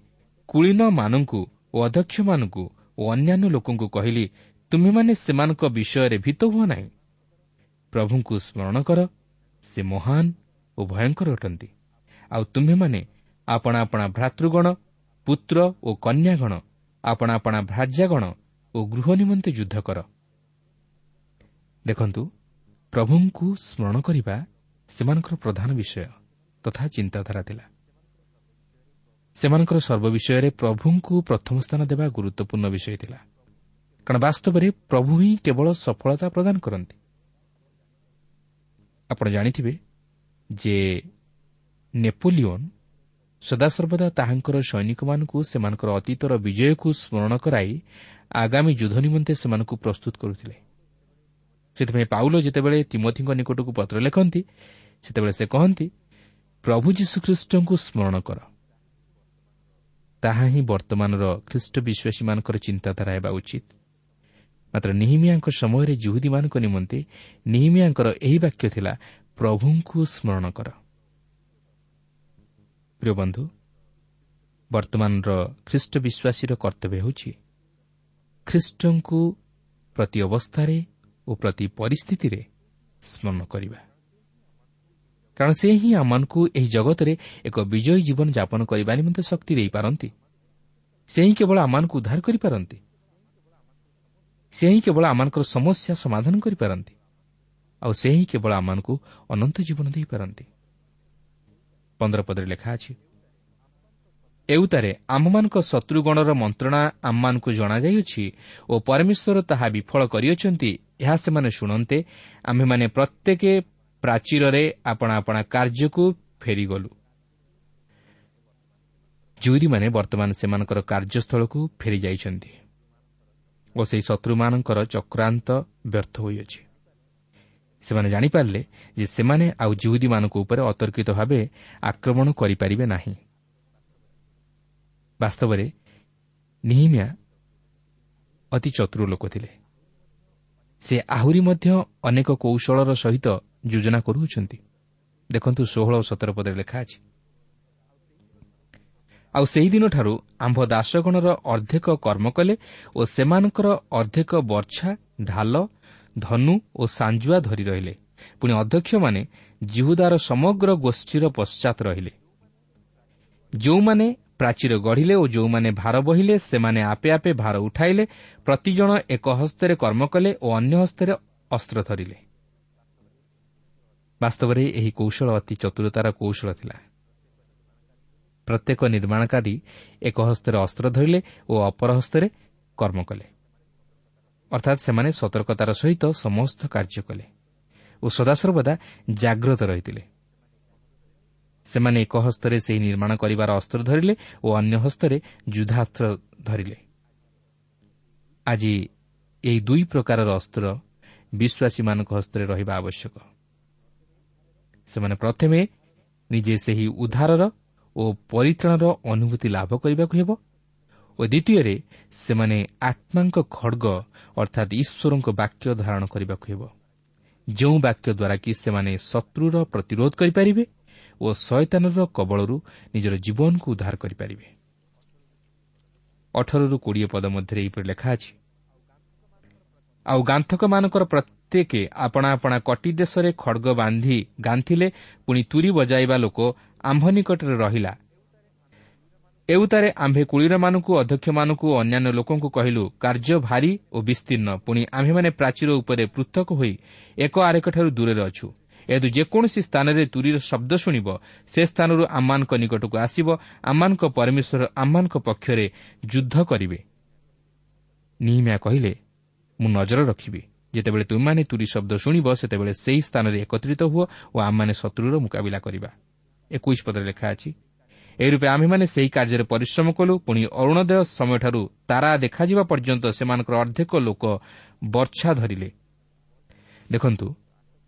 କୁଳୀନମାନଙ୍କୁ ଓ ଅଧ୍ୟକ୍ଷମାନଙ୍କୁ ଓ ଅନ୍ୟାନ୍ୟ ଲୋକଙ୍କୁ କହିଲି, ତୁମ୍ଭେମାନେ ସେମାନଙ୍କ ବିଷୟରେ ଭୀତ ହୁଅ ନାହିଁ। ପ୍ରଭୁଙ୍କୁ ସ୍ମରଣ କର, ସେ ମହାନ ଓ ଭୟଙ୍କର ଅଟନ୍ତି। ଆଉ ତୁମ୍ଭେମାନେ ଆପଣା ଆପଣା ଭ୍ରାତୃଗଣ, ପୁତ୍ର ଓ କନ୍ୟାଗଣ, ଆପଣା ଆପଣା ଭ୍ରାର୍ଯ୍ୟାଗଣ ଓ ଗୃହ ନିମନ୍ତେ ଯୁଦ୍ଧ କର। ଦେଖନ୍ତୁ, ପ୍ରଭୁଙ୍କୁ ସ୍ମରଣ କରିବା ସେମାନଙ୍କର ପ୍ରଧାନ ବିଷୟ ତଥା ଚିନ୍ତାଧାରା ଥିଲା। ସେମାନଙ୍କର ସର୍ବବିଷୟରେ ପ୍ରଭୁଙ୍କୁ ପ୍ରଥମ ସ୍ଥାନ ଦେବା ଗୁରୁତ୍ୱପୂର୍ଣ୍ଣ ବିଷୟ ଥିଲା, କାରଣ ବାସ୍ତବରେ ପ୍ରଭୁ ହିଁ କେବଳ ସଫଳତା ପ୍ରଦାନ କରନ୍ତି। ଆପଣ ଜାଣିଥିବେ ଯେ ନେପୋଲିଓନ୍ ସଦାସର୍ବଦା ତାହାଙ୍କର ସୈନିକମାନଙ୍କୁ ସେମାନଙ୍କର ଅତୀତର ବିଜୟକୁ ସ୍ମରଣ କରାଇ ଆଗାମୀ ଯୁଦ୍ଧ ନିମନ୍ତେ ସେମାନଙ୍କୁ ପ୍ରସ୍ତୁତ କରୁଥିଲେ। ସେଥିପାଇଁ ପାଉଲ ଯେତେବେଳେ ତିମୋଥିଙ୍କ ନିକଟକୁ ପତ୍ର ଲେଖନ୍ତି, ସେତେବେଳେ ସେ କହନ୍ତି, ପ୍ରଭୁ ଯୀଶୁଖ୍ରୀଷ୍ଟଙ୍କୁ ସ୍ମରଣ କର। ତାହା ହିଁ ବର୍ତ୍ତମାନର ଖ୍ରୀଷ୍ଟ ବିଶ୍ୱାସୀମାନଙ୍କର ଚିନ୍ତାଧାରା ହେବା ଉଚିତ। ମାତ୍ର ନିହିମିଆଙ୍କ ସମୟରେ ଜିହୁଦୀମାନଙ୍କ ନିମନ୍ତେ ନିହିମିଆଙ୍କର ଏହି ବାକ୍ୟ ଥିଲା, ପ୍ରଭୁଙ୍କୁ ସ୍ମରଣ କର। ପ୍ରିୟ ବନ୍ଧୁ, ବର୍ତ୍ତମାନର ଖ୍ରୀଷ୍ଟ ବିଶ୍ୱାସୀର କର୍ତ୍ତବ୍ୟ ହେଉଛି ଖ୍ରୀଷ୍ଟଙ୍କୁ ପ୍ରତି ଅବସ୍ଥାରେ ଓ ପ୍ରତି ପରିସ୍ଥିତିରେ ସ୍ମରଣ କରିବା, କାରଣ ସେ ହିଁ ଆମମାନଙ୍କୁ ଏହି ଜଗତରେ ଏକ ବିଜୟୀ ଜୀବନ ଯାପନ କରିବା ନିମନ୍ତେ ଶକ୍ତି ଦେଇପାରନ୍ତି। ସେ ହିଁ କେବଳ ଆମମାନଙ୍କୁ ଉଦ୍ଧାର କରିପାରନ୍ତି। ସେ ହିଁ କେବଳ ଆମମାନଙ୍କର ସମସ୍ୟା ସମାଧାନ କରିପାରନ୍ତି। ଆଉ ସେ ହିଁ କେବଳ ଆମମାନଙ୍କୁ ଅନନ୍ତ ଜୀବନ ଦେଇପାରନ୍ତି। ପନ୍ଦର ପଦରେ ଲେଖା ଅଛି, ଏଉତାରେ ଆମ୍ଭମାନଙ୍କ ଶତ୍ରୁଗଣର ମନ୍ତ୍ରଣା ଆମମାନଙ୍କୁ ଜଣାଯାଇଅଛି ଓ ପରମେଶ୍ୱର ତାହା ବିଫଳ କରିଅଛନ୍ତି, ଏହା ସେମାନେ ଶୁଣନ୍ତେ ଆମ୍ଭେମାନେ ପ୍ରତ୍ୟେକ ପ୍ରାଚୀରରେ ଆପଣା ଆପଣା କାର୍ଯ୍ୟକୁ ଫେରିଗଲୁ। ଜିହୁଦୀମାନେ ବର୍ତ୍ତମାନ ସେମାନଙ୍କର କାର୍ଯ୍ୟସ୍ଥଳକୁ ଫେରିଯାଇଛନ୍ତି ଓ ସେହି ଶତ୍ରୁମାନଙ୍କର ଚକ୍ରାନ୍ତ ବ୍ୟର୍ଥ ହୋଇଅଛି। ସେମାନେ ଜାଣିପାରିଲେ ଯେ ସେମାନେ ଆଉ ଜିହୁଦୀମାନଙ୍କ ଉପରେ ଅତର୍କିତ ଭାବେ ଆକ୍ରମଣ କରିପାରିବେ ନାହିଁ। ବାସ୍ତବରେ ନିହିମିଆ ଅତି ଚତୁର ଲୋକ ଥିଲେ। ସେ ଆହୁରି ମଧ୍ୟ ଅନେକ କୌଶଳର ସହିତ ଯୋଜନା କରୁଅଛନ୍ତି। ଦେଖନ୍ତୁ, ଷୋହଳ ଓ ସତର ପଦରେ ଲେଖା ଅଛି, ଆଉ ସେହିଦିନଠାରୁ ଆମ୍ଭ ଦାସଗଣର ଅର୍ଦ୍ଧେକ କର୍ମ କଲେ ଓ ସେମାନଙ୍କର ଅର୍ଦ୍ଧେକ ବର୍ଚ୍ଛା, ଢାଲ, ଧନୁ ଓ ସାଞ୍ଜୁଆ ଧରି ରହିଲେ। ପୁଣି ଅଧ୍ୟକ୍ଷମାନେ ଜିହୁଦାର ସମଗ୍ର ଗୋଷ୍ଠୀର ପଶ୍ଚାତ ରହିଲେ। ଯେଉଁମାନେ ପ୍ରାଚୀର ଗଢ଼ିଲେ ଓ ଯେଉଁମାନେ ଭାର ବହିଲେ, ସେମାନେ ଆପେ ଆପେ ଭାର ଉଠାଇଲେ। ପ୍ରତିଜଣ ଏକ ହସ୍ତରେ କର୍ମ କଲେ ଓ ଅନ୍ୟ ହସ୍ତରେ ଅସ୍ତ୍ର ଧରିଲେ। ବାସ୍ତବରେ ଏହି କୌଶଳ ଅତି ଚତୁରତାର କୌଶଳ ଥିଲା। ପ୍ରତ୍ୟେକ ନିର୍ମାଣକାରୀ ଏକ ହସ୍ତରେ ଅସ୍ତ୍ର ଧରିଲେ ଓ ଅପର ହସ୍ତରେ କର୍ମ କଲେ, ଅର୍ଥାତ୍ ସେମାନେ ସତର୍କତାର ସହିତ ସମସ୍ତ କାର୍ଯ୍ୟ କଲେ ଓ ସଦାସର୍ବଦା ଜାଗ୍ରତ ରହିଥିଲେ। ସେମାନେ ଏକ ହସ୍ତରେ ସେହି ନିର୍ମାଣ କରିବାର ଅସ୍ତ୍ର ଧରିଲେ ଓ ଅନ୍ୟ ହସ୍ତରେ ଯୁଦ୍ଧାସ୍ତ୍ର ଧରିଲେ। ଆଜି ଏହି ଦୁଇ ପ୍ରକାରର ଅସ୍ତ୍ର ବିଶ୍ୱାସୀମାନଙ୍କ ହସ୍ତରେ ରହିବା ଆବଶ୍ୟକ। ସେମାନେ ପ୍ରଥମେ ନିଜେ ସେହି ଉଦ୍ଧାରର ଓ ପରିତ୍ରାଣର ଅନୁଭୂତି ଲାଭ କରିବାକୁ ହେବ ଓ ଦ୍ୱିତୀୟରେ ସେମାନେ ଆତ୍ମାଙ୍କ ଖଡ଼ଗ ଅର୍ଥାତ୍ ଈଶ୍ୱରଙ୍କ ବାକ୍ୟ ଧାରଣ କରିବାକୁ ହେବ, ଯେଉଁ ବାକ୍ୟ ଦ୍ୱାରା କି ସେମାନେ ଶତ୍ରୁର ପ୍ରତିରୋଧ କରିପାରିବେ ଓ ଶୟତାନର କବଳରୁ ନିଜର ଜୀବନକୁ ଉଦ୍ଧାର କରିପାରିବେ। ଅଠରରୁ କୋଡ଼ିଏ ପଦ ମଧ୍ୟରେ ଏହିପରି ଲେଖା ଅଛି, ଆଉ ଗାନ୍ଥକମାନଙ୍କର ପ୍ରତ୍ୟେକ ଆପଣା ଆପଣା କଟି ଦେଶରେ ଖଡ଼ଗ ବାନ୍ଧି ଗାନ୍ଥିଲେ, ପୁଣି ତୁରୀ ବଜାଇବା ଲୋକ ଆମ୍ଭ ନିକଟରେ ରହିଲା। ଏଉତାରେ ଆମ୍ଭେ କୁଳୀନମାନଙ୍କୁ, ଅଧ୍ୟକ୍ଷମାନଙ୍କୁ ଓ ଅନ୍ୟାନ୍ୟ ଲୋକଙ୍କୁ କହିଲୁ, କାର୍ଯ୍ୟ ଭାରୀ ଓ ବିସ୍ତୀର୍ଣ୍ଣ, ପୁଣି ଆମ୍ଭେମାନେ ପ୍ରାଚୀର ଉପରେ ପୃଥକ ହୋଇ ଏକ ଆରେକଠାରୁ ଦୂରରେ ଅଛୁ। ଏହେତୁ ଯେକୌଣସି ସ୍ଥାନରେ ତୁରୀର ଶବ୍ଦ ଶୁଣିବ, ସେ ସ୍ଥାନରୁ ଆମମାନଙ୍କ ନିକଟକୁ ଆସିବ, ଆମମାନଙ୍କ ପରମେଶ୍ୱର ଆମମାନଙ୍କ ପକ୍ଷରେ ଯୁଦ୍ଧ କରିବେ। ନିହିମିଆ କହିଲେ, ମୁଁ ନଜର ରଖିବି, ଯେତେବେଳେ ତୁମେମାନେ ତୁରୀ ଶବ୍ଦ ଶୁଣିବ, ସେତେବେଳେ ସେହି ସ୍ଥାନରେ ଏକତ୍ରିତ ହୁଅ ଓ ଆମମାନେ ଶତ୍ରୁର ମୁକାବିଲା କରିବା। ଏକୋଇଶ ପଦରେ ଲେଖା ଅଛି, ଏହି ରୂପେ ଆମ୍ଭେମାନେ ସେହି କାର୍ଯ୍ୟରେ ପରିଶ୍ରମ କଲୁ। ପୁଣି ଅରୁଣୋଦୟ ସମୟଠାରୁ ତାରା ଦେଖାଯିବା ପର୍ଯ୍ୟନ୍ତ ସେମାନଙ୍କର ଅର୍ଦ୍ଧେକ ଲୋକ ବର୍ଚ୍ଛା ଧରିଲେ। ଦେଖନ୍ତୁ,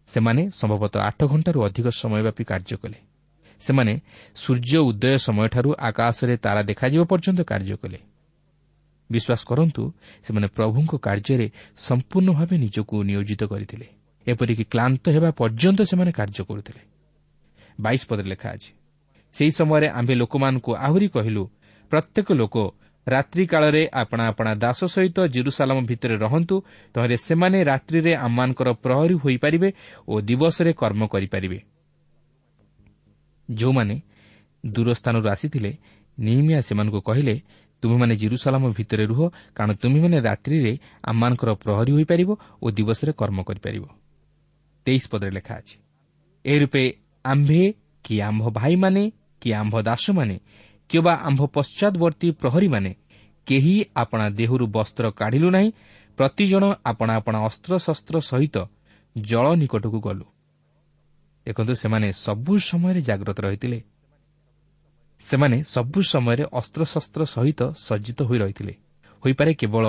ସେମାନେ ସମ୍ଭବତଃ ଆଠ ଘଣ୍ଟାରୁ ଅଧିକ ସମୟବ୍ୟାପୀ କାର୍ଯ୍ୟ କଲେ। ସେମାନେ ସୂର୍ଯ୍ୟ ଉଦୟ ସମୟଠାରୁ ଆକାଶରେ ତାରା ଦେଖାଯିବା ପର୍ଯ୍ୟନ୍ତ କାର୍ଯ୍ୟ କଲେ। ବିଶ୍ୱାସ କରନ୍ତୁ, ସେମାନେ ପ୍ରଭୁଙ୍କ କାର୍ଯ୍ୟରେ ସମ୍ପୂର୍ଣ୍ଣ ଭାବେ ନିଜକୁ ନିୟୋଜିତ କରିଥିଲେ। ଏପରିକି କ୍ଳାନ୍ତ ହେବା ପର୍ଯ୍ୟନ୍ତ ସେମାନେ କାର୍ଯ୍ୟ କରୁଥିଲେ। ବାଇଶ ପଦରେ ଲେଖା ଅଛି, ସେହି ସମୟରେ ଆମ୍ଭେ ଲୋକମାନଙ୍କୁ ଆହୁରି କହିଲୁ, ପ୍ରତ୍ୟେକ ଲୋକ ରାତ୍ରିକାଳରେ ଆପଣା ଆପଣା ଦାସ ସହିତ ଜେରୁସାଲାମ ଭିତରେ ରହନ୍ତୁ, ତହିଁରେ ସେମାନେ ରାତ୍ରିରେ ଆମମାନଙ୍କର ପ୍ରହରୀ ହୋଇପାରିବେ ଓ ଦିବସରେ କର୍ମ କରିପାରିବେ। ଯେଉଁମାନେ ଦୂର ସ୍ଥାନରୁ ଆସିଥିଲେ, ନିହିମିୟା ସେମାନଙ୍କୁ କହିଲେ, ତୁମେମାନେ ଜେରୁସାଲାମ ଭିତରେ ରୁହ, କାରଣ ତୁମେମାନେ ରାତ୍ରିରେ ଆମମାନଙ୍କର ପ୍ରହରୀ ହୋଇପାରିବ ଓ ଦିବସରେ କର୍ମ କରିପାରିବ। ତେଇଶ ପଦରେ ଲେଖା ଅଛି, ଏହି ରୂପେ ଆମ୍ଭେ କି ଆମ୍ଭ ଭାଇମାନେ କି ଆମ୍ଭ ଦାସମାନେ କିମ୍ବା ଆମ୍ଭ ପଶ୍ଚାଦବର୍ତ୍ତୀ ପ୍ରହରୀମାନେ କେହି ଆପଣା ଦେହରୁ ବସ୍ତ୍ର କାଢ଼ିଲୁ ନାହିଁ, ପ୍ରତିଜଣ ଆପଣା ଆପଣା ଅସ୍ତ୍ରଶସ୍ତ୍ର ସହିତ ଜଳ ନିକଟକୁ ଗଲୁ। ଦେଖନ୍ତୁ, ସେମାନେ ସବୁ ସମୟରେ ଜାଗ୍ରତ ରହିଥିଲେ। ସେମାନେ ସବୁ ସମୟରେ ଅସ୍ତ୍ରଶସ୍ତ୍ର ସହିତ ସଜ୍ଜିତ ହୋଇ ରହିଥିଲେ। ହୋଇପାରେ କେବଳ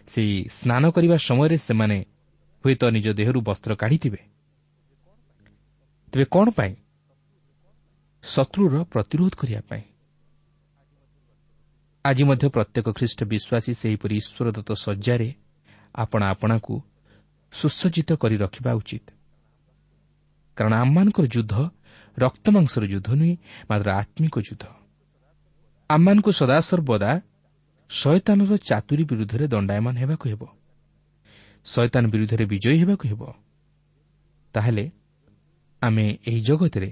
ସେଇ ସ୍ନାନ କରିବା ସମୟରେ ସେମାନେ ହୁଏତ ନିଜ ଦେହରୁ ବସ୍ତ୍ର କାଢ଼ିଥିବେ। ତେବେ କ'ଣ ପାଇଁ? ଶତ୍ରୁର ପ୍ରତିରୋଧ କରିବା ପାଇଁ। ଆଜି ମଧ୍ୟ ପ୍ରତ୍ୟେକ ଖ୍ରୀଷ୍ଟ ବିଶ୍ୱାସୀ ସେହିପରି ଈଶ୍ୱରଦତ୍ତ ଶଯ୍ୟାରେ ଆପଣା ଆପଣାକୁ ସୁସଜ୍ଜିତ କରି ରଖିବା ଉଚିତ। କାରଣ ଆମମାନଙ୍କର ଯୁଦ୍ଧ ରକ୍ତମାଂସର ଯୁଦ୍ଧ ନୁହେଁ, ମାତ୍ର ଆତ୍ମିକ ଯୁଦ୍ଧ। ଆମମାନଙ୍କୁ ସଦାସର୍ବଦା ଶୟତାନର ଚାତୁରୀ ବିରୁଦ୍ଧରେ ଦଣ୍ଡାୟମାନ ହେବାକୁ ହେବ, ଶୟତାନ ବିରୁଦ୍ଧରେ ବିଜୟୀ ହେବାକୁ ହେବ। ତାହେଲେ ଆମେ ଏହି ଜଗତରେ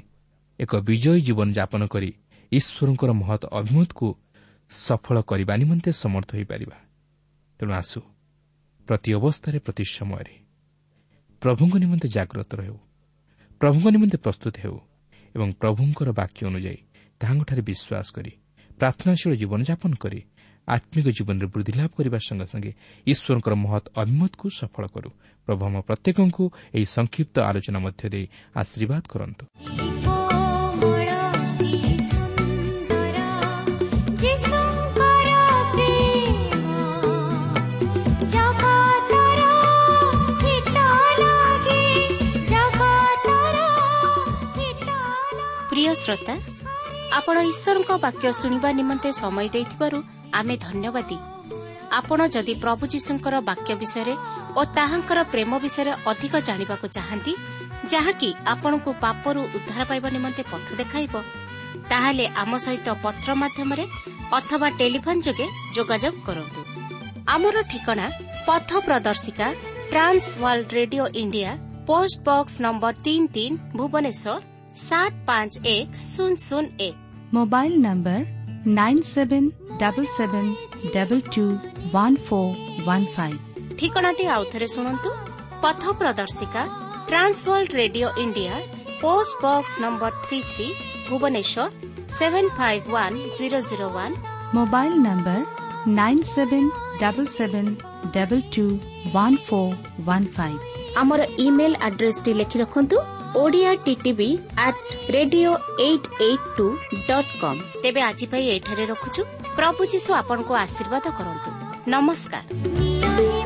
ଏକ ବିଜୟୀ ଜୀବନଯାପନ କରି ଈଶ୍ୱରଙ୍କର ମହତ୍ ଅଭିମତକୁ ସଫଳ କରିବା ନିମନ୍ତେ ସମର୍ଥ ହୋଇପାରିବା। ତେଣୁ ଆସୁ ପ୍ରତି ଅବସ୍ଥାରେ, ପ୍ରତି ସମୟରେ ପ୍ରଭୁଙ୍କ ନିମନ୍ତେ ଜାଗ୍ରତ ରହୁ, ପ୍ରଭୁଙ୍କ ନିମନ୍ତେ ପ୍ରସ୍ତୁତ ହେଉ ଏବଂ ପ୍ରଭୁଙ୍କର ବାକ୍ୟ ଅନୁଯାୟୀ ତାହାଙ୍କଠାରେ ବିଶ୍ୱାସ କରି ପ୍ରାର୍ଥନାଶୀଳ ଜୀବନଯାପନ କରି ଆତ୍ମିକ ଜୀବନରେ ବୃଦ୍ଧି ଲାଭ କରିବା ସଙ୍ଗେ ସଙ୍ଗେ ଈଶ୍ୱରଙ୍କର ମହତ୍ ଅଭିମତକୁ ସଫଳ କରୁ। ପ୍ରଭୁ ଆମ ପ୍ରତ୍ୟେକଙ୍କୁ ଏହି ସଂକ୍ଷିପ୍ତ ଆଲୋଚନା ମଧ୍ୟ ଦେଇ ଆଶୀର୍ବାଦ କରନ୍ତୁ। ପ୍ରିୟ ଶ୍ରୋତା, ଆପଣ ଈଶ୍ୱରଙ୍କ ବାକ୍ୟ ଶୁଣିବା ନିମନ୍ତେ ସମୟ ଦେଇଥିବାରୁ ଆମେ ଧନ୍ୟବାଦୀ। ଆପଣ ଯଦି ପ୍ରଭୁ ଯୀଶୁଙ୍କର ବାକ୍ୟ ବିଷୟରେ ଓ ତାହାଙ୍କର ପ୍ରେମ ବିଷୟରେ ଅଧିକ ଜାଣିବାକୁ ଚାହାନ୍ତି, ଯାହାକି ଆପଣଙ୍କୁ ପାପରୁ ଉଦ୍ଧାର ପାଇବା ନିମନ୍ତେ ପଥ ଦେଖାଇବ, ତାହେଲେ ଆମ ସହିତ ପତ୍ର ମାଧ୍ୟମରେ ଅଥବା ଟେଲିଫୋନ୍ ଯୋଗେ ଯୋଗାଯୋଗ କରନ୍ତୁ। ଆମର ଠିକଣା ପଥ ପ୍ରଦର୍ଶିକା, Trans World Radio India, post box number ତିନି ତିନି, ଭୁବନେଶ୍ୱର ସାତ ପାଞ୍ଚ ଏକ ଶୂନ ଶୂନ ଏକ। Mobile number nine seven double seven double two one four one five. ଠିକଣାଟି ଆଉଥରେ ଶୁଣନ୍ତୁ। ପଥ ପ୍ରଦର୍ଶିକା, Trans World Radio India, post box number three three, Bhubaneswar seven five one zero zero one. Mobile number nine seven double seven double two one four one five. ଆମର ଇମେଲ୍ ଆଡ୍ରେସଟି ଲେଖି ରଖନ୍ତୁ, Odia TTV at radio eight eight two dot com. ତେବେ ଆଜି ପାଇଁ ଏଠାରେ ରଖୁଛୁ। ପ୍ରଭୁ ଯୀଶୁ ଆପଣଙ୍କୁ ଆଶୀର୍ବାଦ କରନ୍ତୁ। ନମସ୍କାର।